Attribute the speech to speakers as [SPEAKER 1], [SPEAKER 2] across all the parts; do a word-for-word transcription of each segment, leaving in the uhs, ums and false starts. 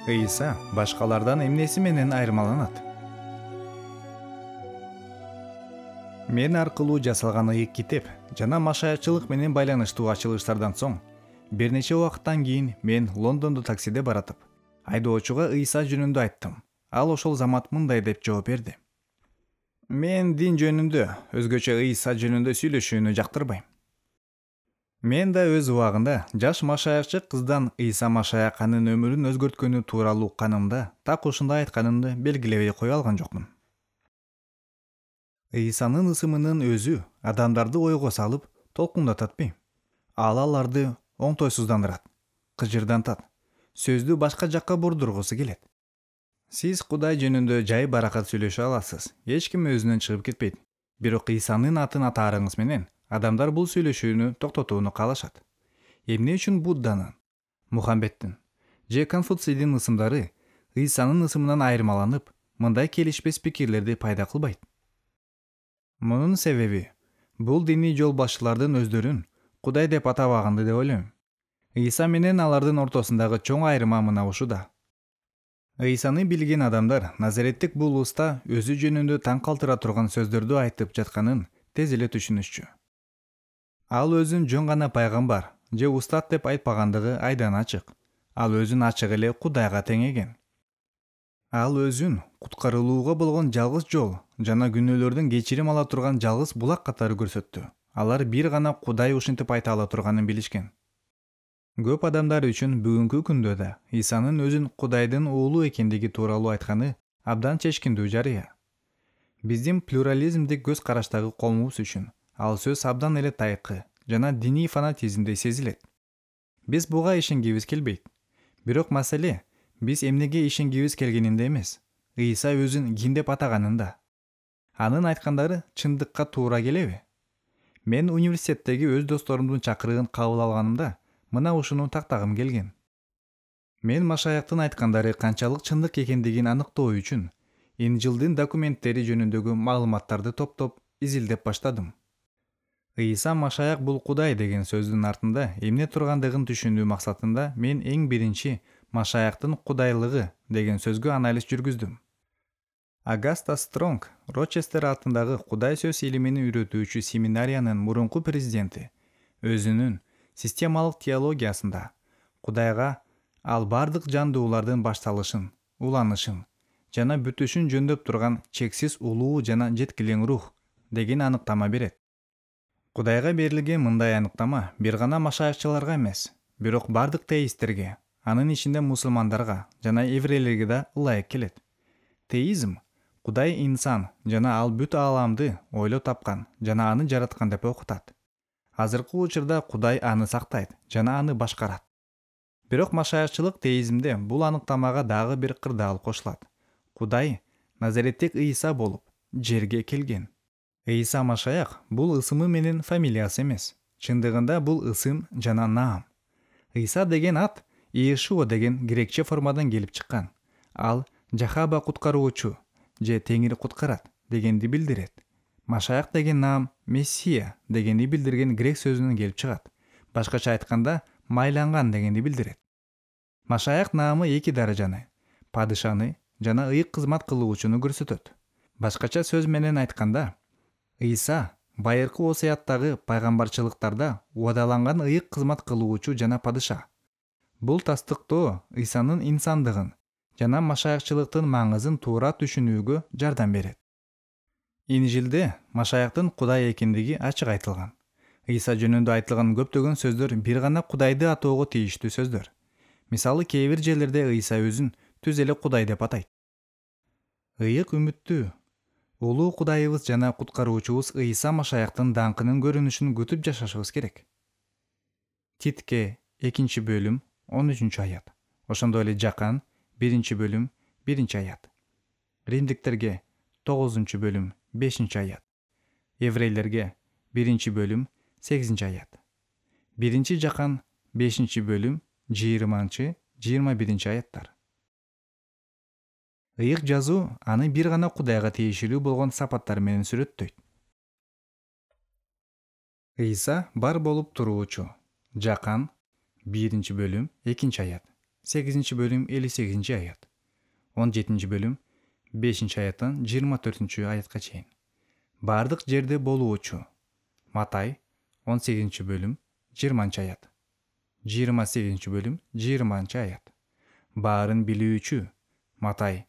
[SPEAKER 1] Ыйса башкалардан эмнеси менен айырмаланат? Мен аркылуу жасалган ыйык китеп жана машаякчылык менен байланыштуу ачылыштардан соң бир нече убакыттан кийин мен Лондондо таксиде баратып, айдоочуга Ыйса жөнүндө айттым. Ал ошол замат мындай деп жооп берди: Мен дин жөнүндө, өзгөчө Ыйса жөнүндө сүйлөшүүнү жактырбайм. Мен да өз убагында жаш машаякчы кыздан Ыйса машаяк анын өмүрүн өзгөрткөнү тууралуу укканымда так ушундай айтканымды белгилебей кое алган жокмун. Ыйсанын ысымынын өзү адамдарды ойго салып, толкундататпы? Ал аларды оңтойсуздандырат, кыжырдантат, сөздү башка жакка бурдургусу келет. Сиз Кудай жөнүндө жай баракат сүйлөшө аласыз, эч ким өзүнөн чыгып кетпейт. Бирок Ыйсанын атын атаарыңыз менен адамдар бул сүйлөшүүнү токтотууну каалашат. Эмне үчүн Будданын, Мухаммедтин же Конфуцийдин ысымдары Ыйсанын ысымынан айырмаланып, мындай келишпес пикирлерди пайда кылбайт? Мунун себеби бул диний жол башчылардын өздөрүн Кудай деп атабаганды деп ойлойм. Ыйса менен алардын ортосундагы чоң айырма мына ушуда. Ыйсаны билген адамдар Назареттик бул уста өзү жөнүндө таң калтыра турган сөздөрдү айтып жатканын тез эле түшүнүшчү. Ал өзүн жөн гана пайгамбар же устат деп айтпагандыгы айдан ачык. Ал өзүн ачык эле Кудайга теңеген. Ал өзүн куткарылууга болгон жалгыз жол жана күнөөлөрдөн кечирим ала турган жалгыз булак катары көрсөттү. Алар бир гана Кудай ушинтип айта ала турганын билишкен. Көп адамдар үчүн бүгүнкү күндө да Ыйсанын өзүн Кудайдын уулу экендиги тууралуу айтканы абдан чечкиндүү жарыя. Биздин плюрализмдик көз караштагы коомубуз үчүн ал сөз абдан эле тайкы жана диний фанатизмдей сезилет. Биз буга ишенгибиз келбейт. Бирок маселе биз эмнеге ишенгибиз келгенинде эмес, Ыйса өзүн ким деп атаганында. Анын айткандары чындыкка туура келеби? Мен университеттеги өз досторумдун чакырыгын кабыл алганымда мына ушуну тактагым келген. Мен машаяктын айткандары канчалык чындык экендигин аныктоо үчүн Инжилдин документтери жөнүндөгү маалыматтарды топтоп, изилдеп баштадым. Ыйса машаяк бул Кудай деген сөздүн артында эмне тургандыгын түшүнүү максатында мен эң биринчи машаяктын кудайлыгы деген сөзгө анализ жүргүздүм. Агаста Стронг, Рочестер атындагы Кудай сөз илимин үйрөтүүчү семинариянын мурунку президенти, өзүнүн системалык теологиясында Кудайга ал бардык жандуулардын башталышын, уланышын жана бүтүшүн жөндөп турган чексиз улуу жана жеткилең рух деген аныктама берет. Кудайга берилген мындай аныктама бир гана машаякчыларга эмес, бирок бардык теисттерге, анын ичинде мусулмандарга жана еврейлерге да ылайык келет. Теизм Кудай инсан жана ал бүт ааламды ойлоп тапкан жана аны жараткан деп окутат. Азыркы учурда Кудай аны сактайт жана аны башкарат. Бирок машаякчылык теизмде бул аныктамага дагы бир кырдаал кошулат. Кудай Назареттик Ыйса болуп жерге келген. Ыйса машаяк бул ысымы менен фамилиясы эмес. Чындыгында бул ысым жана наам. Ыйса деген ат Иешуа деген грекче формадан келип чыккан. Ал Жахаба куткаруучу же Теңир куткарат дегенди билдирет. Машаяк деген наам Мессия дегенди билдирген грек сөзүнөн келип чыгат. Башкача айтканда, майланган дегенди билдирет. Машаяк наамы эки даражаны, падышаны жана ыйык кызмат кылуучуну көрсөтөт. Башкача сөз менен айтканда, Ыйса байыркы осуяттагы пайгамбарчылыктарда убадаланган ыйык кызмат кылуучу жана падыша. Бул тастыктоо Ыйсанын инсандыгын жана машаякчылыктын маңызын туура түшүнүүгө жардам берет. Инжилде машаяктын Кудай экендиги ачык айтылган. Ыйса жөнүндө айтылган көптөгөн сөздөр бир гана Кудайды атоого тийиштүү сөздөр. Мисалы, кээ бир жерлерде Ыйса өзүн түз эле Кудай деп атайт. Ыйык үмүттүү, улуу Кудайыбыз жана куткаруучубуз Ыйса машаяктын даңкынын көрүнүшүн күтүп жашашыбыз керек. Титке экинчи бөлүм он үчүнчү аят. Ошондой эле Жакан биринчи бөлүм биринчи аят. Римдиктерге тогузунчу бөлүм бешинчи аят. Еврейлерге биринчи бөлүм сегизинчи аят. Биринчи Жакан бешинчи бөлүм жыйырманчы жыйырма биринчи аяттар. Ыйык жазуу аны бир гана Кудайга тиешелүү болгон сапаттар менен сүрөттөйт. Ыйса бар болуп туруучу. Жакан биринчи бөлүм экинчи аят. сегизинчи бөлүм элүү сегизинчи аят. он жетинчи бөлүм бешинчи аяттан жыйырма төртүнчү аятка чейин. Бардык жерде болуучу. Матай он сегизинчи бөлүм жыйырманчы аят. жыйырма сегизинчи бөлүм жыйырманчы аят. Баарын билүүчү. Матай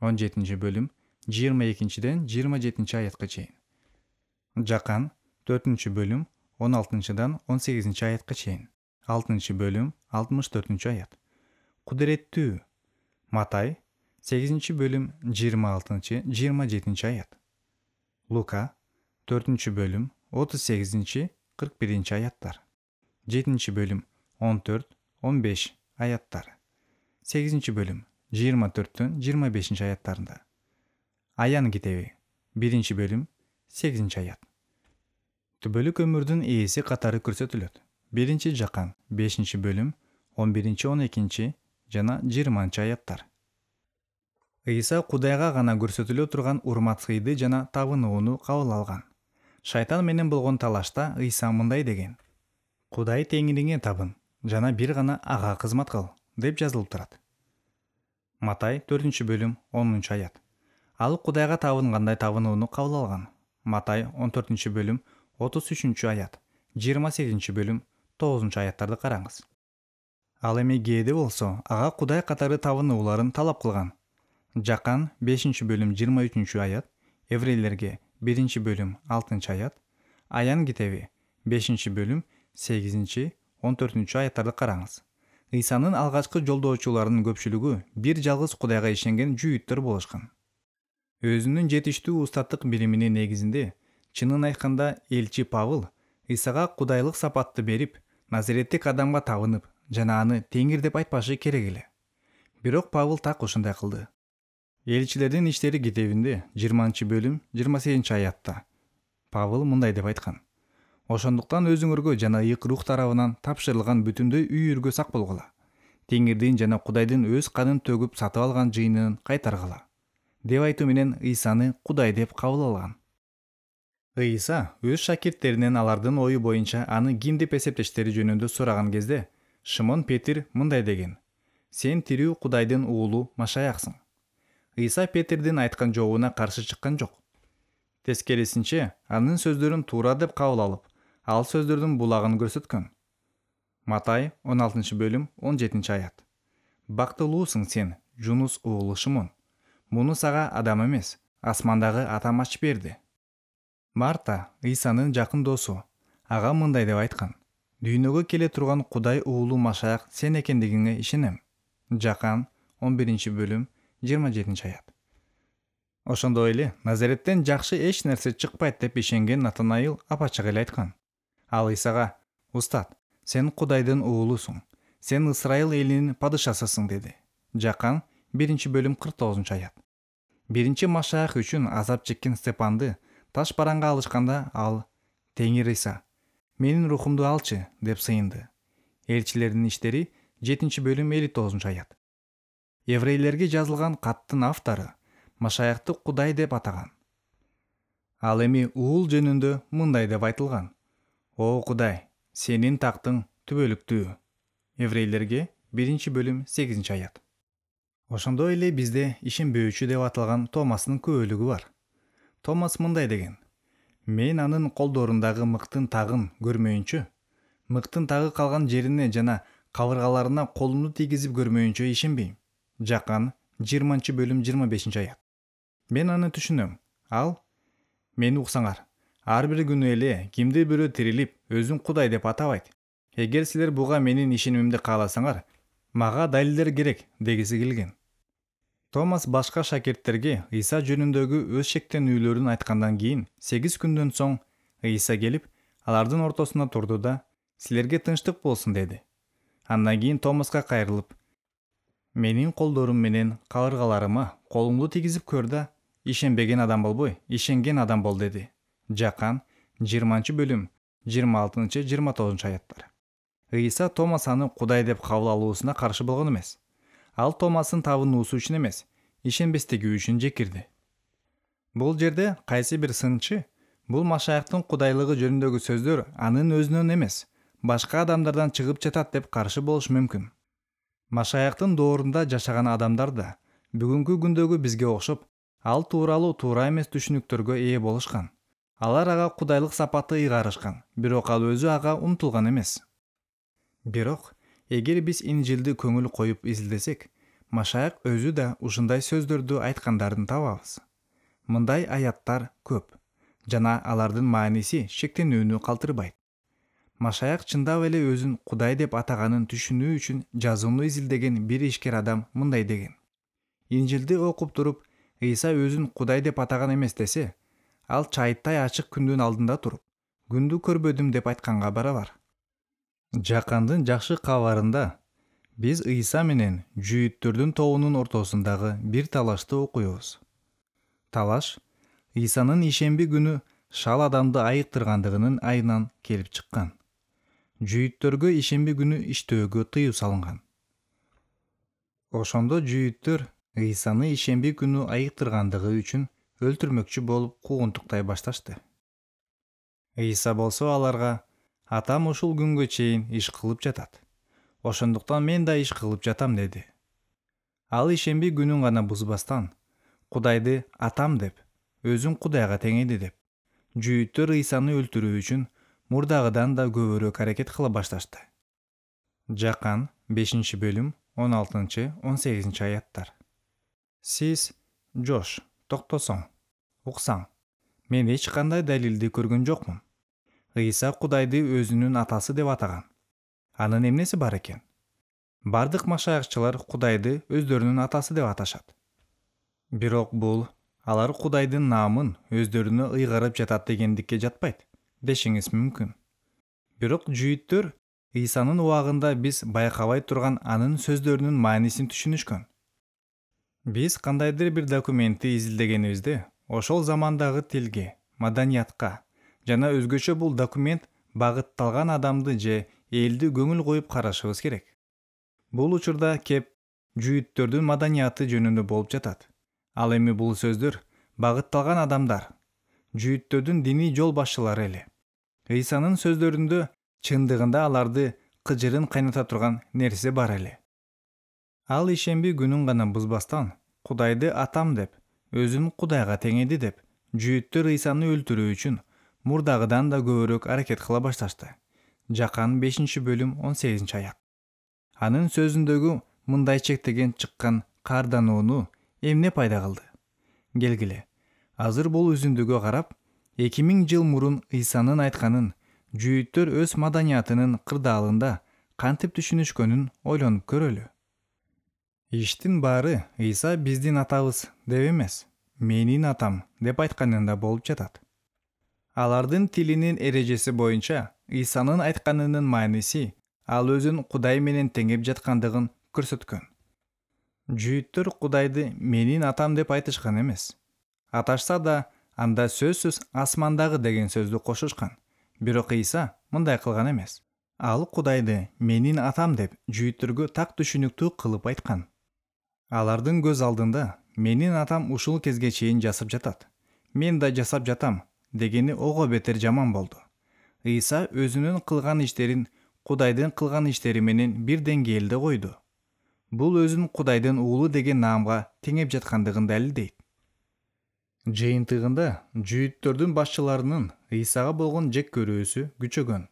[SPEAKER 1] он жетинчи бөлүм жыйырма экинчиден жыйырма жетинчи аятка чейин. Жакан төртүнчү бөлүм он алтынчыдан он сегизинчи аятка чейин. алтынчы бөлүм алтымыш төртүнчү аят. Кудуреттүү. Матай сегизинчи бөлүм жыйырма алтынчы жыйырма жетинчи аят. Лука төртүнчү бөлүм отуз сегизинчи кырк биринчи аяттар. жетинчи бөлүм он төрт он беш аяттар. сегизинчи бөлүм жыйырма төрттөн жыйырма бешинчи аяттарында. Аян китеби биринчи бөлүм сегизинчи аят. Түбөлүк өмүрдүн ээси катары көрсөтүлөт. Биринчи Жакан бешинчи бөлүм он биринчи он экинчи жана жыйырманчы аяттар. Ыйса Кудайга гана көрсөтүлө турган урмат сыйды жана табынууну кабыл алган. Шайтан менен болгон талашта Ыйса мындай деген: Кудай теңириңе табын жана бир гана ага кызмат кыл деп жазылып турат. Матай төртүнчү бөлүм онунчу аят. Ал Кудайга табынгандай табынууну кабыл алган. Матай он төртүнчү бөлүм отуз үчүнчү аят, жыйырма сегизинчи бөлүм тогузунчу аяттарды караңыз. Ал эми кээде болсо ага Кудай катары табынууларын талап кылган. Жакан бешинчи бөлүм жыйырма үчүнчү аят, Еврейлерге биринчи бөлүм алтынчы аят, Аян китеби бешинчи бөлүм сегизинчи он төртүнчү аяттарды караңыз. Ыйсанын алгачкы жолдоочуларынын көпчүлүгү бир жалгыз Кудайга ишенген жүйүттөр болушкан. Өзүнүн жетиштүү устаттык билиминин негизинде, чынын айтканда, элчи Павыл Ыйсага кудайлык сапатты берип, Назареттик адамга табынып жана аны теңир деп айтпашы керек эле. Бирок Павыл так ушундай кылды. Элчилердин иштери китебинде жыйырманчы бөлүм жыйырма сегизинчи аятта Павыл мындай деп айткан: Ошондуктан өзүңөргө жана ыйык рух тарабынан тапшырылган бүтүндөй үйүргө сак болгула. Теңирдин жана Кудайдын өз канын төгүп сатып алган жыйынын кайтаргыла. Деп айтуу менен Ыйсаны Кудай деп кабыл алган. Ыйса өз шакирттеринен алардын ою боюнча аны ким деп эсептештери жөнүндө сураган кезде, Шымон Петир мындай деген: Сен тирүү Кудайдын уулу Машаяксың. Ыйса Петирдин айткан жообуна каршы чыккан жок. Тескерисинче, анын сөздөрүн туура деп кабыл алып, ал сөздөрдүн булагын көрсөткөн. Матай он алтынчы бөлүм он жетинчи аят. Бактылуусуң сен, Жунус уулу Шымон. Муну сага адам эмес, асмандагы Атам ачып берди. Марта, Ыйсанын жакын досу, ага мындай деп айткан: Дүйнөгө келе турган Кудай уулу Машаяк сен экендигиңе ишенем. Жакан он биринчи бөлүм жыйырма жетинчи аят. Ошондой эле Назареттен жакшы эч нерсе чыкпайт деп ишенген Натанаил апачык эле айткан. Ал Ыйсага: Устат, сен Кудайдын уулусуң, сен Исрайыл элинин падышасысың деди. Жакан биринчи бөлүм кырк тогузунчу аят. Биринчи Машаяк үчүн азап чеккен Степанды таш бараңга алышканда ал: Теңир Ыйса, менин рухумду алчы деп сыйынды. Элчилердин иштери жетинчи бөлүм элүү тогузунчу аят. Еврейлерге жазылган каттын автору Машаякты Кудай деп атаган. Ал эми уул жөнүндө мындай деп айтылган: О Кудай, сенин тактың түбөлүктүү. Еврейлерге биринчи бөлүм сегизинчи аят. Ошондой эле бизде ишенбөөчү деп аталган Томастын күбөлүгү бар. Томас мындай деген: Мен анын колдорундагы мыктын тагын көрмөйүнчө, мыктын тагы калган жерине жана кабыргаларына колумду тийгизип көрмөйүнчө ишенбейм. Жакан жыйырманчы бөлүм жыйырма бешинчи аят. Мен аны түшүнөм. Ал: Мени уксаңар, ар бир күнү эле кимди бирөө тирилип, өзүн Кудай деп атабайт. Эгер силер буга менин ишенимимди кааласаңар, мага далилдер керек дегиси келген. Томас башка шакирттерге Ыйса жөнүндөгү өз шектенүүлөрүн айткандан кийин сегиз күндөн соң Ыйса келип, алардын ортосуна турду да: Силерге тынчтык болсун деди. Андан кийин Томаска кайрылып: Менин колдорум менен кабыргаларыма колуңду тийгизип көр да, ишенбеген адам болбой, ишенген адам бол деди. Жакан жыйырманчы бөлүм жыйырма алтынчы жыйырма тогузунчу аяттар. Ыйса Томас аны Кудай деп кабыл алуусуна каршы болгон эмес. Ал Томастын табынуусу үчүн эмес, ишенбестиги үчүн жекирди. Бул жерде кайсы бир сынчы бул Машаяктын кудайлыгы жөнүндөгү сөздөр анын өзүнөн эмес, башка адамдардан чыгып жатат деп каршы болушу мүмкүн. Машаяктын доорунда жашаган адамдар да бүгүнкү күндөгү бизге окшоп, ал тууралуу туура эмес түшүнүктөргө ээ болушкан. Алар ага кудайлык сапаты ыйгарышкан, бирок ал өзү ага умтулган эмес. Бирок эгер биз Инжилди көңүл коюп изилдесек, Машаяк өзү да ушундай сөздөрдү айткандарын табабыз. Мындай аяттар көп жана алардын мааниси шектенүүнү калтырбайт. Машаяк чындап эле өзүн Кудай деп атаганын түшүнүү үчүн жазууну изилдеген бир ишкер адам мындай деген: Инжилди окуп туруп, Ыйса өзүн Кудай деп атаган эмес десе, ал чайыттай ачык күндүн алдында туруп, күндү көрбөдүм деп айтканга барабар. Жакандын жакшы кабарында биз Ыйса менен жүйүттөрдүн тобунун ортосундагы бир талашты окуйбуз. Талаш Ыйсанын ишемби күнү шал адамды айыктыргандыгынын айынан келип чыккан. Жүйүттөргө ишемби күнү иштөөгө тыюу салынган. Ошондо жүйүттөр Ыйсаны ишемби күнү айыктыргандыгы үчүн өлтүрмөкчү болуп куугунтуктай башташты. Ыйса болсо аларга: Атам ушул күнгө чейин иш кылып жатат. Ошондуктан мен да иш кылып жатам деди. Ал ишемби күнүн гана бузбастан, Кудайды Атам деп, өзүн Кудайга теңеди деп, жүйүттөр Ыйсаны өлтүрүү үчүн мурдагыдан да көбүрөөк аракет кыла башташты. Жакан бешинчи бөлүм он алтынчы он сегизинчи аяттар. Сиз, Жош, токтосоң, уксаң. Мен эч кандай далилди көргөн жокмун. Ыйса Кудайды өзүнүн атасы деп атаган. Анын эмнеси бар экен? Бардык машаякчылар Кудайды өздөрүнүн атасы деп аташат. Бирок бул алар Кудайдын наамын өздөрүнө ыйгарып жатат дегендикке жатпайт, дешиңиз мүмкүн. Бирок жүйүттөр Ыйсанын убагында биз байкабай турган анын сөздөрүнүн маанисин түшүнүшкөн. Биз кандайдыр бир документти изилдегенибизде, ошол замандагы тилге, маданиятка жана өзгөчө бул документ багытталган адамды же элди көңүл коюп карашыбыз керек. Бул учурда кеп жүйүттөрдүн маданияты жөнүндө болуп жатат. Ал эми бул сөздөр багытталган адамдар, жүйүттөрдүн диний жол башчылары эле. Ыйсанын сөздөрүндө чындыгында аларды кыжырын кайната турган нерсе бар эле. Ал ишемби күнүн гана бузбастан, Кудайды Атам деп, өзүн Кудайга теңеди деп, жүйүттөр Ыйсаны өлтүрүү үчүн мурдагыдан да көбүрөөк аракет кыла башташты. Жакан бешинчи бөлүм он сегизинчи аят. Анын сөзүндөгү мындай чектеген чыккан каарданууну эмне пайда кылды? Келгиле, азыр бул үзүндүгө карап, эки миң жыл мурун Ыйсанын айтканын жүйүттөр өз маданиятынын кырдаалында кантип түшүнүшкөнүн ойлонуп көрөлү. Иштин баары Ыйса биздин атабыз деп эмес, менин атам деп айтканында болуп жатат. Алардын тилинин эрежеси боюнча Ыйсанын айтканынын мааниси ал өзүн Кудай менен теңеп жаткандыгын көрсөткөн. Жүйүттөр Кудайды менин атам деп айтышкан эмес. Аташса да, анда сөзсүз асмандагы деген сөздү кошушкан. Бирок Ыйса мындай кылган эмес. Ал Кудайды менин атам деп жүйүттөргө так түшүнүктүү кылып айткан. Алардын көз алдында менин атам ушул кезге чейин жасап жатат, мен да жасап жатам дегени ого бетер жаман болду. Ыйса өзүнүн кылган иштерин Кудайдын кылган иштери менен бир деңгээлде койду. Бул өзүн Кудайдын уулу деген наамга теңеп жаткандыгын далилдейт. Жыйынтыгында жүйүттөрдүн башчыларынын Ыйсага болгон жек көрүүсү күчөгөн.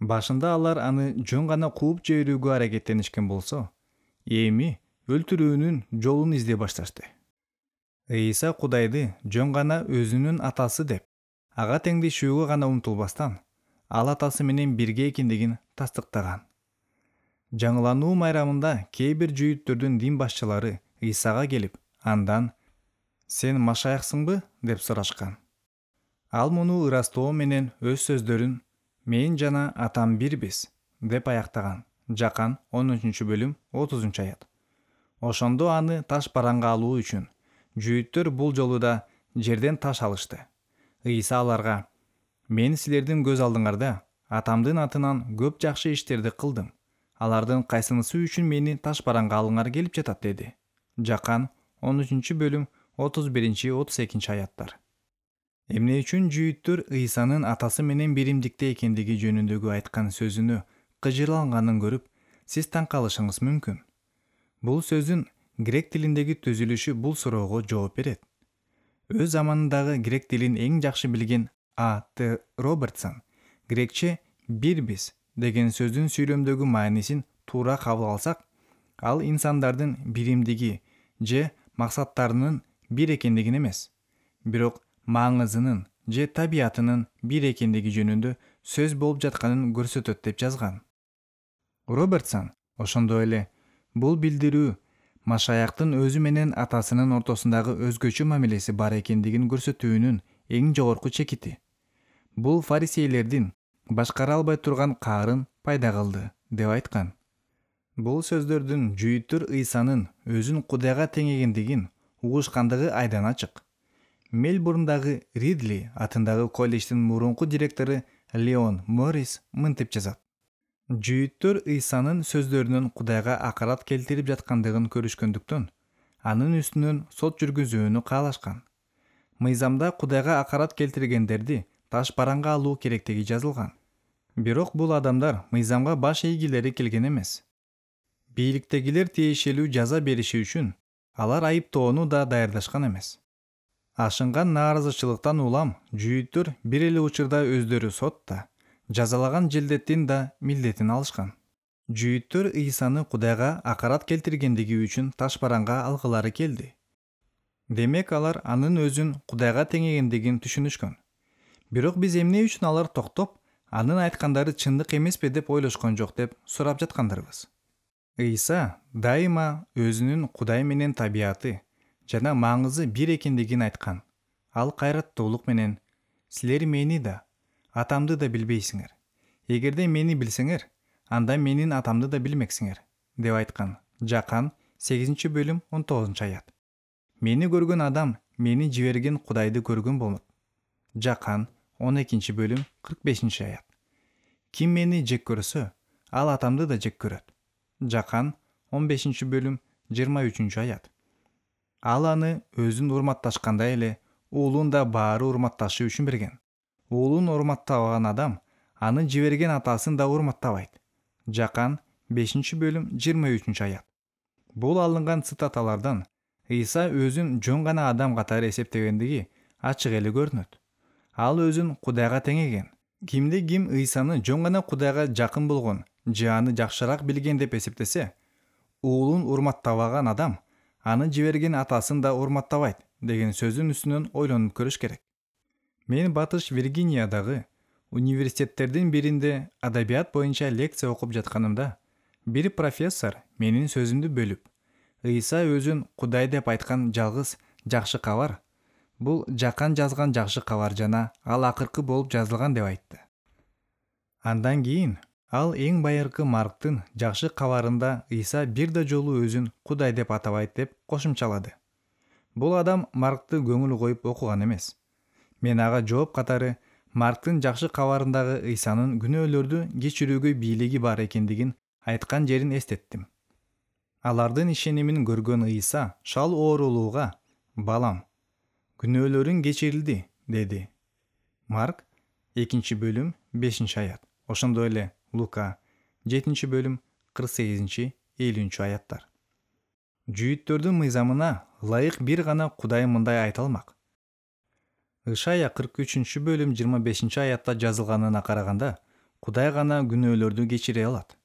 [SPEAKER 1] Башында алар аны жөн гана кууп жиберүүгө аракеттенишкен болсо, эми өлтүрүүнүн жолун издей башташты. Ыйса Кудайды жөн гана өзүнүн атасы деп, ага теңдешүүгө гана умтулбастан, ал атасы менен бирге экендигин тастыктаган. Жаңылануу майрамында кээ бир жүйүттөрдүн дин башчылары Ыйсага келип, андан: "Сен Машаяксыңбы?" деп сурашкан. Ал муну ырастоо менен өз сөздөрүн "Мен жана Атам бирбиз" деп аяктаган. Жакан он үчүнчү бөлүм отузунчу аят. Ошондо аны таш бараңга алуу үчүн жүйүттөр бул жолу да жерден таш алышты. Ыйса аларга: "Мен силердин көз алдыңарда Атамдын атынан көп жакшы иштерди кылдым. Алардын кайсынысы үчүн мени таш бараңга алыңар келип жатат" деди. Жакан он үчүнчү бөлүм отуз биринчи отуз экинчи аяттар. Эмне үчүн жүйүттөр Ыйсанын атасы менен биримдикте экендиги жөнүндөгү айткан сөзүнө кыжырланганын көрүп, Сиз таң калышыңыз мүмкүн. Бул сөздүн грек тилиндеги түзүлүшү бул суроого жооп берет. Өз заманындагы грек тилин эң жакшы билген А Т Робертсон грекче «бирбиз» деген сөздүн сүйлөмдөгү маанисин туура кабыл алсак, ал инсандардын биримдиги же максаттарынын бир экендигин эмес, бирок маңызынын же табиятынын бир экендиги жөнүндө сөз болуп жатканын көрсөтөт деп жазган. Робертсон ошондой эле бул билдирүү Машаяктын өзү менен атасынын ортосундагы өзгөчө мамилеси бар экендигин көрсөтүүнүн эң жогорку чекити. Бул фарисейлердин башкара албай турган каарын пайда кылды деп айткан. Бул сөздөрдүн жүйүттөр Ыйсанын өзүн Кудайга теңегендигин угушкандыгы айдан ачык. Мельбурндагы Ридли атындагы колледждин мурунку директору Леон Моррис мынтип жазат: жүйүттөр Ыйсанын сөздөрүнүн Кудайга акарат келтирип жаткандыгын көрүшкөндүктөн, анын үстүнөн сот жүргүзүүнү каалашкан. Мыйзамда Кудайга акарат келтиргендерди таш бараңга алуу керектиги жазылган. Бирок бул адамдар мыйзамга баш ийгилери келген эмес. Бийликтегилер тиешелүү жаза бериши үчүн алар айыптоону да даярдашкан эмес. Ашынган нааразычылыктан улам жүйүттөр бир эле учурда өздөрү сотта, жазалаган желдеттин да милдетин алышкан. Жүйүттөр Ыйсаны Кудайга акарат келтиргендиги үчүн таш бараңга алгылары келди. Демек алар анын өзүн Кудайга теңегендигин түшүнүшкөн. Бирок биз эмне үчүн алар токтоп, анын айткандары чындык эмеспи деп ойлошкон жок деп сурап жаткандарбыз. Ыйса дайыма өзүнүн Кудай менен табияты жана маңызы бир экендигин айткан. Ал кайраттуулук менен: «Силер мени да, атамды да билбейсиңер. Эгерде мени билсеңер, анда менин атамды да билмексиңер» деп айткан. Жакан сегизинчи бөлүм он тогузунчу аят. Мени көргөн адам мени жиберген Кудайды көргөн болот. Жакан он экинчи бөлүм кырк бешинчи аят. Ким мени жек көрсө, ал атамды да жек көрөт. Жакан он бешинчи бөлүм жыйырма үчүнчү аят. Ал аны өзүн урматташкандай эле уулун да баары урматташы үчүн берген. Уулун урматтабаган адам аны жиберген атасын да урматтабайт. Жакан бешинчи бөлүм жыйырма үчүнчү аят. Бул алынган цитаталардан Ыйса өзүн жөн гана адам катары эсептегендиги ачык эле көрүнөт. Ал өзүн Кудайга теңеген. Кимди ким Ыйсаны жөн гана Кудайга жакын болгон же аны жакшыраак билген деп эсептесе, уулун урматтабаган адам аны жиберген атасын да урматтабайт деген сөздүн үстүнөн ойлонуп көрүш керек. Мен Батыш Виргиниядагы университеттердин биринде адабият боюнча лекция окуп жатканымда, бир профессор менин сөзүмдү бөлүп, Ыйса өзүн Кудай деп айткан жалгыз жакшы кабар бул Жакан жазган жакшы кабар жана ал акыркы болуп жазылган деп айтты. Андан кийин ал эң байыркы Марктын жакшы кабарында Ыйса бир да жолу өзүн Кудай деп атабайт деп кошумчалады. Бул адам Маркты көңүл коюп окуган эмес. Мен ага жооп катары Марктын жакшы кабарындагы Ыйсанын күнөөлөрдү кечирүүгө бийлиги бар экендигин айткан жерин эстеттим. Алардын ишенимин көргөн Ыйса шал оорулууга: «Балам, күнөөлөрүң кечирилди» деди. Марк экинчи бөлүм бешинчи аят. Ошондой эле Лука жетинчи бөлүм кырк сегизинчи элүүнчү аяттар. Жүйүттөрдүн мыйзамына ылайык бир гана Кудай мындай айта алмак. Ышая кырк үчүнчү бөлүм жыйырма бешинчи аятта жазылганына караганда, Кудай гана күнөөлөрдү кечире алат.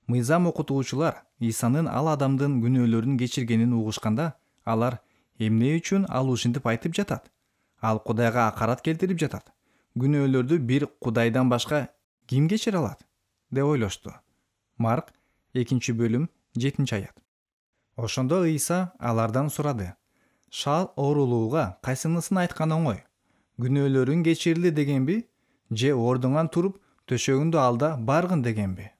[SPEAKER 1] Мыйзам окутуучулар Ыйсанын ал адамдын күнөөлөрүн кечиргенин угушканда, алар эмне үчүн ал ушинтип айтып жатат? Ал Кудайга акарат келтирип жатат. Күнөөлөрдү бир Кудайдан башка ким кечире алат деп ойлошту. Марк экинчи бөлүм жетинчи аят. Ошондо Ыйса алардан сурады: «Шал оорулууга кайсынысын айткан оңой? Күнөөлөрүң кечирилди дегенби, же ордуңан туруп төшөгүңдү алда баргын дегенби?»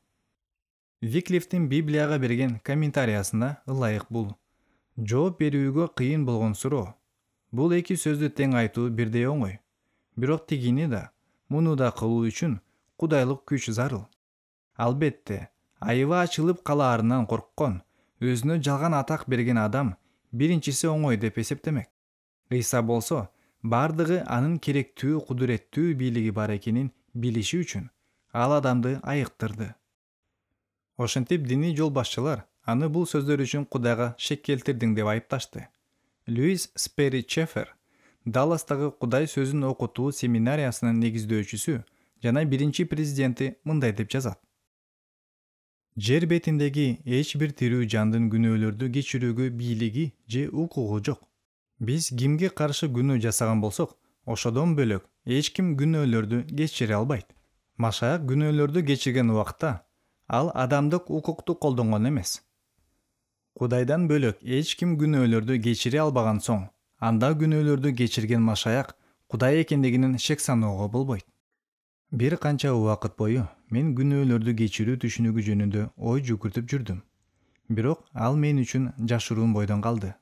[SPEAKER 1] Виклифтин Библияга берген комментариясына ылайык бул жооп берүүгө кыйын болгон суроо. Бул эки сөздү тең айтуу бирдей оңой. Бирок тигини да, муну да кылуу үчүн кудайлык күч зарыл. Албетте, айыбы ачылып калаарынан корккон, өзүнө жалган атак берген адам биринчиси оңой деп эсептемек. Ыйса болсо, бардыгы анын керектүү кудуреттүү бийлиги бар экенин билиши үчүн ал адамды айыктырды. Ошентип диний жол башчылар аны бул сөздөр үчүн Кудайга шек келтирдиң деп айыпташты. Льюис Сперри Чеффер, Далластагы Кудай сөзүн окутуу семинариясынын негиздөөчүсү жана биринчи президенти, мындай деп жазат: Жер бетиндеги эч бир тирүү жандын күнөөлөрдү кечирүүгө бийлиги же укугу жок. Биз кимге каршы күнөө жасаган болсок, ошодон бөлөк эч ким күнөөлөрдү кечире албайт. Машаяк күнөөлөрдү кечирген убакта ал адамдык укукту колдонгон эмес. Кудайдан бөлөк эч ким күнөөлөрдү кечире албаган соң, анда күнөөлөрдү кечирген Машаяк Кудай экендигинин шек саноого болбойт. Бир канча убакыт бою мен күнөөлөрдү кечирүү түшүнүгү жөнүндө ой жүгүртүп жүрдүм. Бирок ал мен үчүн жашыруун бойдон калды.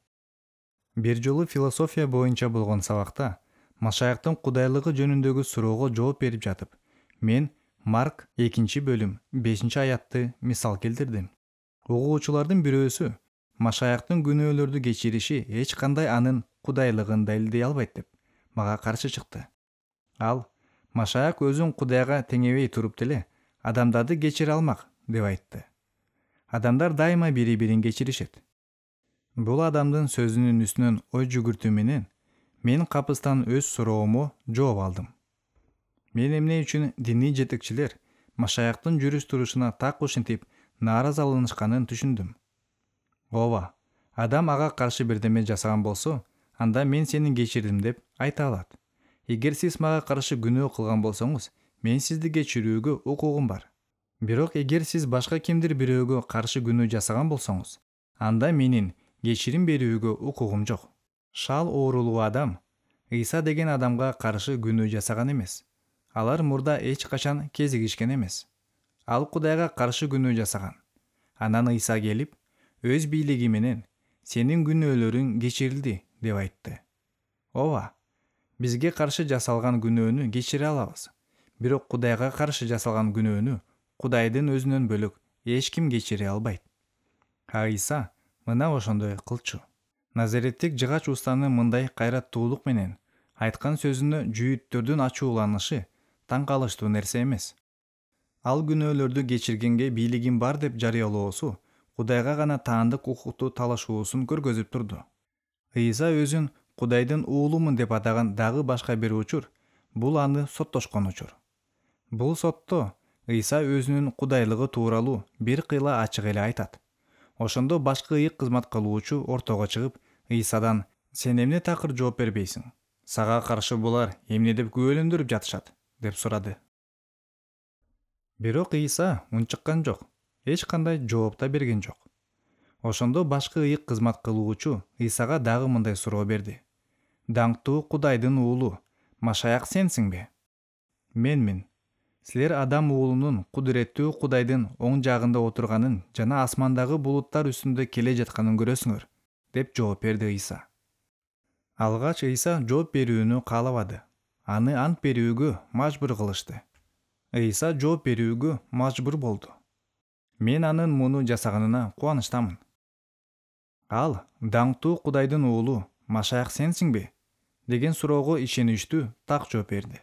[SPEAKER 1] Бир жолу философия боюнча болгон сабакта Машаяктын кудайлыгы жөнүндөгү суроого жооп берип жатып, мен Марк экинчи бөлүм бешинчи аятты мисал келтирдим. Угуучулардын бирөөсү Машаяктын күнөөлөрдү кечириши эч кандай анын кудайлыгын далилдей албайт деп мага каршы чыкты. Ал Машаяк өзүн Кудайга теңебей туруп деле адамдарды кечире алмак деп айтты. Адамдар дайыма бири-бирин кечиришет. Бул адамдын сөзүнүн үстүнөн ой жүгүртүү менен мен капыстан өз суроомо жооп алдым. Мен эмне үчүн диний жетекчилер Машаяктын жүрүш-турушуна так ушинтип нааразаланышканын түшүндүм. Ооба, адам ага каршы бирдеме жасаган болсо, анда мен сени кечирдим деп айта алат. Эгер сиз мага каршы күнөө кылган болсоңуз, мен сизди кечирүүгө укугум бар. Бирок эгер сиз башка кимдир бирөөгө каршы күнөө жасаган болсоңуз, анда менин кечирим берүүгө укугум жок. Шал оорулуу адам Ыйса деген адамга каршы күнөө жасаган эмес. Алар мурда эч качан кезигишкен эмес. Ал Кудайга каршы күнөө жасаган. Анан Ыйса келип, өз бийлиги менен сенин күнөөлөрүң кечирилди деп айтты. Ооба, бизге каршы жасалган күнөөнү кечире алабыз. Бирок Кудайга каршы жасалган күнөөнү Кудайдын өзүнөн бөлөк эч ким кечире албайт. А Ыйса мына ошондой кылчу. Назареттик жыгач устанын мындай кайраттуулук менен айткан сөзүнө жүйүттөрдүн ачууланышы таң калыштуу нерсе эмес. Ал күнөөлөрдү кечиргенге бийлигим бар деп жарыялоосу Кудайга гана таандык укукту талашуусун көргөзүп турду. Ыйса өзүн Кудайдын уулумун деп атаган дагы башка бир учур бул аны соттошкон учур. Бул сотто Ыйса өзүнүн кудайлыгы тууралуу бир кыйла ачык эле айтат. Ошондо башкы ыйык кызмат кылуучу ортого чыгып, Ыйсадан: "Сен эмне такыр жооп бербейсиң? Сага каршы булар эмне деп күбөлөндүрүп жатышат?" деп сурады. Бирок Ыйса унчуккан жок, эч кандай жооп да берген жок. Ошондо башкы ыйык кызмат кылуучу Ыйсага дагы мындай суроо берди: "Даңктуу Кудайдын уулу, Машаяк сенсиңби?" "Менмин. Силер Адам уулунун кудуреттүү Кудайдын оң жагында отурганын жана асмандагы булуттар үстүндө келе жатканын көрөсүңөр" деп жооп берди Ыйса. Алгач Ыйса жооп берүүнү каалабады. Аны ант берүүгө мажбур кылышты. Ыйса жооп берүүгө мажбур болду. Мен анын муну жасаганына кубанычтамын. Ал "Даңктуу Кудайдын уулу, Машаяк сенсиңби?" деген суроого ишеничтүү так жооп берди.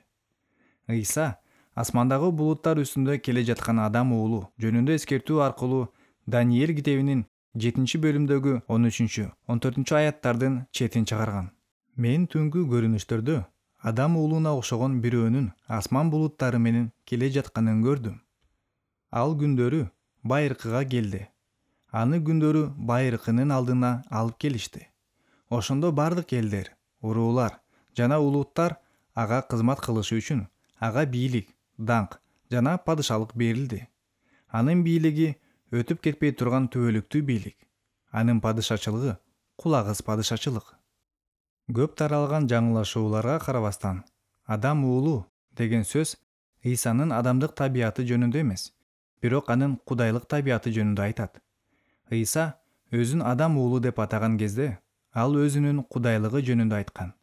[SPEAKER 1] Ыйса асмандагы булуттар үстүндө келе жаткан Адам уулу жөнүндө эскертүү аркылуу Даниил китебинин жетинчи бөлүмдөгү он үчүнчү он төртүнчү аяттардын четин чыгарган. Мен түнгү көрүнүштөрдө Адам уулуна окшогон бирөөнүн асман булуттары менен келе жатканын көрдүм. Ал күндөрү байыркыга келди. Аны күндөрү байыркынын алдына алып келишти. Ошондо бардык элдер, уруулар жана улуттар ага кызмат кылышы үчүн ага бийлик, даңк жана падышалык берилди. Анын бийлиги өтүп кетпей турган түбөлүктүү бийлик. Анын падышачылыгы кулагыс падышачылык. Көп таралган жаңылашууларга карабастан, Адам уулу деген сөз Ыйсанын адамдык табияты жөнүндө эмес, бирок анын кудайлык табияты жөнүндө айтат. Ыйса өзүн Адам уулу деп атаган кезде, ал өзүнүн кудайлыгы жөнүндө айткан.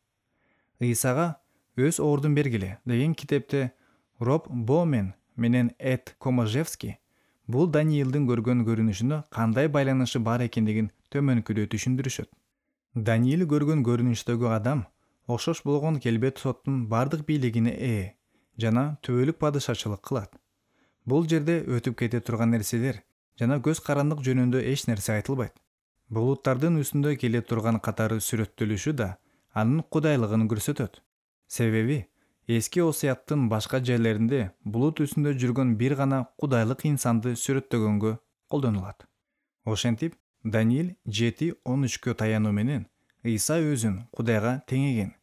[SPEAKER 1] Ыйсага "Өз ордун бергиле" деген китепте Роб Бомен менен Эд Коможевский бул Даниилдин көргөн көрүнүшүнө кандай байланышы бар экендигин төмөнкүдө түшүндүрүшөт. Даниил көргөн көрүнүштөгү адам окшош болгон келбет соттун бардык бийлигине ээ жана түбөлүк падышачылык кылат. Бул жерде өтүп кете турган нерселер жана көз карандык жөнүндө эч нерсе айтылбайт. Булуттардын үстүндө келе турган катары сүрөттөлүшү да анын кудайлыгын көрсөтөт. Себеби эски осуяттын башка жерлеринде булут үстүндө жүргөн бир гана кудайлык инсанды сүрөттөгөнгө колдонулат. Ошентип Даниил жети он үчкө таянуу менен Ыйса өзүн Кудайга теңеген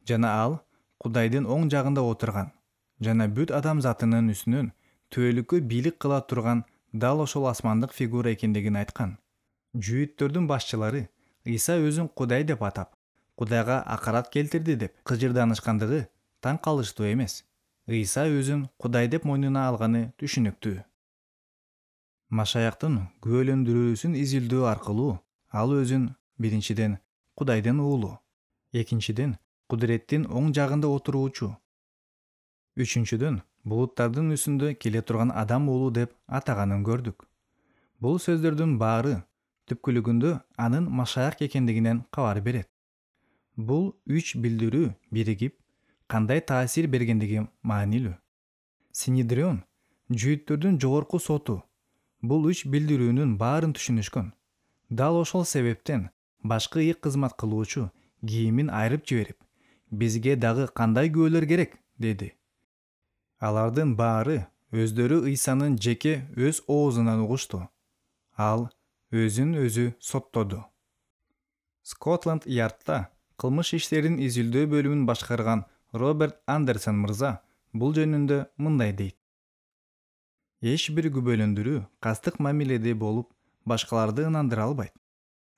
[SPEAKER 1] жана ал Кудайдын оң жагында отурган жана бүт адамзатынын үстүнөн түбөлүккө бийлик кыла турган дал ошол асмандык фигура экендигин айткан. Жүйүттөрдүн башчылары Ыйса өзүн Кудай деп атап, Кудайга акарат келтирди деп кыжырданышкандыгы таң калыштуу эмес. Ыйса өзүн Кудай деп мойнуна алганы түшүнүктүү. Машаяктын күбөлөндүрүүсүн изилдөө аркылуу ал өзүн биринчиден Кудайдын уулу, экинчиден кудуреттин оң жагында отуруучу, үчүнчүдөн булуттардын үстүндө келе турган адам уулу деп атаганын көрдүк. Бул сөздөрдүн баары түпкүлүгүндө анын Машаяк экендигинен кабар берет. Бул үч билдирүү биригип кандай таасир бергендиги маанилүү. Синедрион, жүйүттөрдүн жогорку соту, бул үч билдирүүнүн баарын түшүнүшкөн. Дал ошол себептен башкы ыйык кызмат кылуучу кийимин айрып жиберип, бизге дагы кандай күбөлөр керек, деди. Алардын баары өздөрү Ыйсанын жеке өз оозунан угушту. Ал өзүн өзү соттоду. Скотланд Ярдта кылмыш иштерин изилдөө бөлүмүн башкарган Роберт Андерсон мырза бул жөнүндө мындай дейт. Эч бир күбөлөндүрүү кастык мамиледе болуп, башкаларды ынандыра албайт.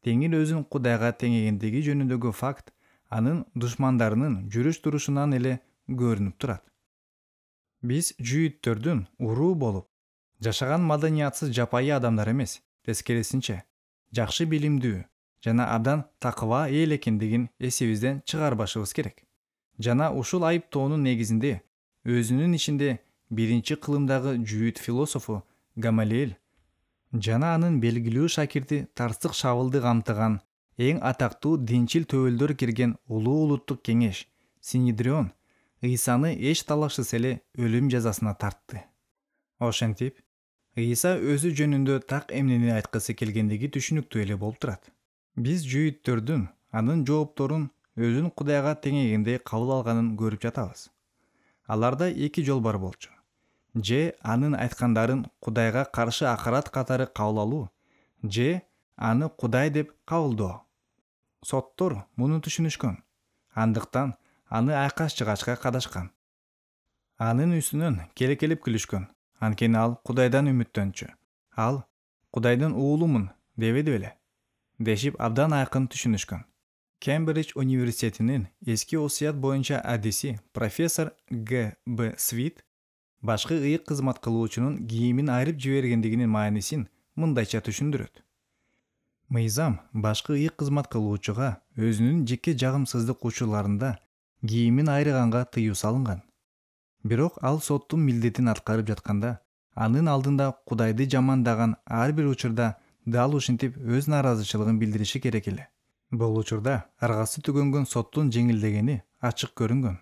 [SPEAKER 1] Теңир өзүн Кудайга теңегендиги жөнүндөгү факт анын душмандарынын жүрүш-турушунан эле көрүнүп турат. Биз жүйүттөрдүн уруу болуп, жашаган маданиятсыз жапайы адамдар эмес, тескерисинче, жакшы билимдүү жана абдан такыба эл экендигин эсибизден чыгарбашыбыз керек. Жана ушул айыптоонун негизинде өзүнүн ичинде биринчи кылымдагы жүйүт философу Гамалиэл жана анын белгилүү шакирти Тарсык Шабылды камтыган эң атактуу динчил төбөлдөр кирген улуу улуттук кеңеш Синедрион Ыйсаны эч талашсыз эле өлүм жазасына тартты. Ошентип, Ыйса өзү жөнүндө так эмнени айткысы келгендиги түшүнүктүү эле болуп турат. Биз жүйүттөрдүн анын жоопторун өзүн Кудайга теңегендей кабыл алганын көрүп жатабыз. Аларда эки жол бар болчу. Же анын айткандарын Кудайга каршы акарат катары кабыл алуу, же аны Кудай деп кабылдоо. Соттор муну түшүнүшкөн. Андыктан аны айкаш жыгачка кадашкан. Анын үстүнөн келекелеп күлүшкөн. Анткени ал Кудайдан үмүттөнчү. Ал Кудайдын уулумун дебеди беле, дешип абдан айкын түшүнүшкөн. Кембридж университетинин эски осуят боюнча адиси профессор Г Б Свит башкы ыйык кызмат кылуучунун кийимин айрып жибергендигинин маанисин мындайча түшүндүрөт. Мыйзам башкы ыйык кызмат кылуучуга өзүнүн жеке жагымсыздык учурларында кийимин айрыганга тыюу салынган. Бирок ал соттун милдетин аткарып жатканда, анын алдында Кудайды жамандаган ар бир учурда дал ушинтип өз нааразычылыгын билдириши керек эле. Бул учурда аргасы түгөнгөн соттун жеңилдегени ачык көрүнгөн.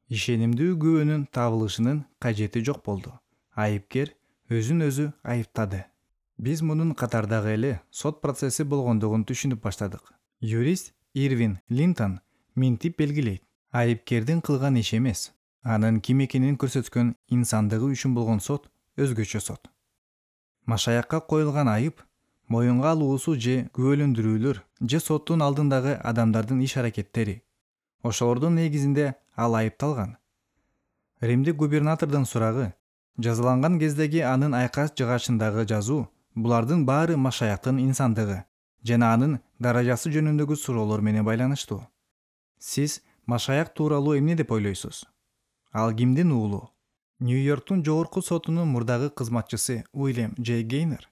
[SPEAKER 1] Ишенимдүү күбөнүн табылышынын кажети жок болду. Айыпкер өзүн өзү айыптады. Биз мунун катардагы эле сот процесси болгондугун түшүнүп баштадык. Юрист Ирвин Линтон минтип белгилейт. Айыпкердин кылган иши эмес, анын ким экенин көрсөткөн инсандыгы үчүн болгон сот өзгөчө сот. Машаякка коюлган айып моюнга алуусу же күбөлөндүрүүлөр же соттун алдындагы адамдардын иш-аракеттери. Ошолордун негизинде ал айыпталган. Римдик губернатордун сурагы жазаланган кездеги анын айкас жыгачындагы жазуу булардын баары Машаяктын инсандыгы жана анын даражасы жөнүндөгү суроолор менен байланыштуу. Сиз Машаяк тууралуу эмне деп ойлойсуз? Ал кимдин уулу? Нью-Йорктун жогорку сотунун мурдагы кызматчысы Уильям Дж. Гейнер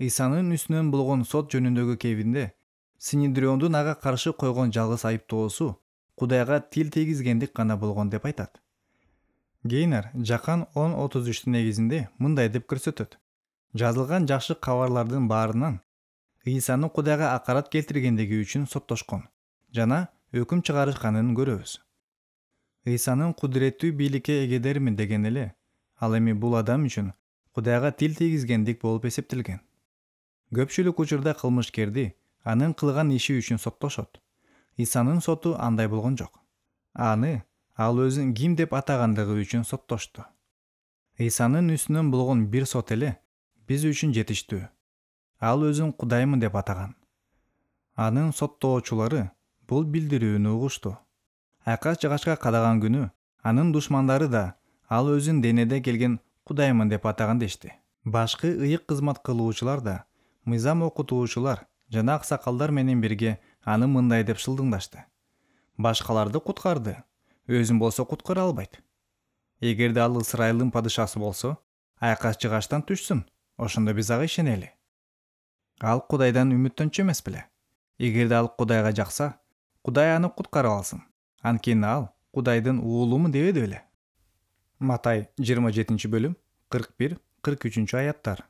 [SPEAKER 1] Ыйсанын үстүнөн болгон сот жөнүндөгү кебинде Синедриондун ага каршы койгон жалгыз айыптоосу Кудайга тил тийгизгендик гана болгон деп айтат. Гейнер Жакан он отуз үчтүн негизинде мындай деп көрсөтөт. Жазылган жакшы кабарлардын баарынан Ыйсаны Кудайга акарат келтиргендиги үчүн соттошкон жана өкүм чыгарышканын көрөбүз. Ыйсанын кудуреттүү бийликке эгедермин деген эле, ал эми бул адам үчүн Кудайга тил тийгизгендик болуп эсептелген. Көпчүлүк учурда кылмышкерди анын кылган иши үчүн соттошот. Исанын соту андай болгон жок. Аны ал өзүн ким деп атагандыгы үчүн соттошту. Исанын үстүнөн болгон бир сот эле биз үчүн жетиштүү. Ал өзүн Кудаймын деп атаган. Анын соттоочулары бул билдирүүнү угушту. Айкаш жыгачка кадаган күнү анын душмандары да ал өзүн денеде келген Кудаймын деп атаган дешти. Башкы ыйык кызмат кылуучулар да, мыйзам окутуучулар жана аксакалдар менен бирге аны мындай деп шылдыңдашты: башкаларды куткарды, өзүн болсо куткара албайт. Эгерде ал Ысырайылдын падышасы болсо, айкаш жыгачтан түшсүн, ошондо биз ага ишенели. Ал Кудайдан үмүттөнчү эмес беле? Эгерде ал Кудайга жакса, Кудай аны куткара алсын. Анткени ал Кудайдын уулумун дебеди беле? Матай жыйырма жетинчи бөлүм кырк бир кырк үчүнчү аяттар.